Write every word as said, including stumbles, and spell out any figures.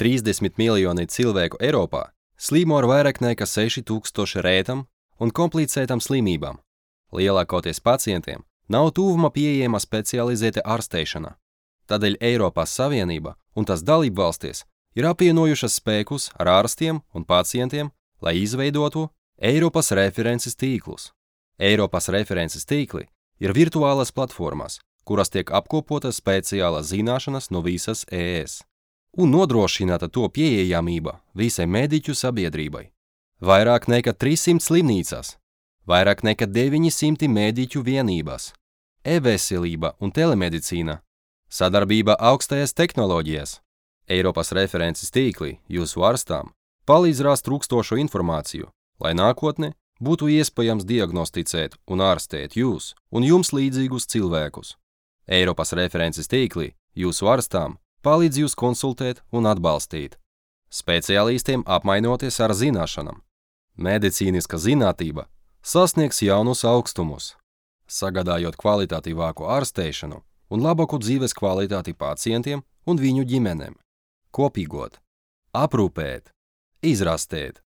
trīsdesmit miljoni cilvēku Eiropā slimo ar vairāk nekā seši tūkstoši rētam un komplicētam slimībām. Lielākoties pacientiem nav tuvuma pieejama specializēta ārstēšana. Tādēļ Eiropas Savienība un tās dalībvalstis ir apvienojušas spēkus ar ārstiem un pacientiem, lai izveidotu Eiropas references tīklus. Eiropas references tīkli ir virtuālas platformas, kuras tiek apkopotas speciālas zināšanas no visas E S un nodrošināta to pieejamība visai mediķu sabiedrībai. Vairāk nekā trīssimti slimnīcas, vairāk nekā deviņi simti mediķu vienības, e-veselība un telemedicīna, sadarbība augstajās tehnoloģijās. Eiropas references tīkli jūsu ārstām palīdz rast trūkstošo informāciju, lai nākotnē būtu iespējams diagnosticēt un ārstēt jūs un jums līdzīgus cilvēkus. Eiropas references tīkli jūsu ārstām palīdz jūs konsultēt un atbalstīt, speciālistiem apmainoties ar zināšanām. Medicīniska zinātība sasniegs jaunus augstumus, sagādājot kvalitatīvāku ārstēšanu un labāku dzīves kvalitāti pacientiem un viņu ģimenēm. Kopīgot, aprūpēt, izrastēt.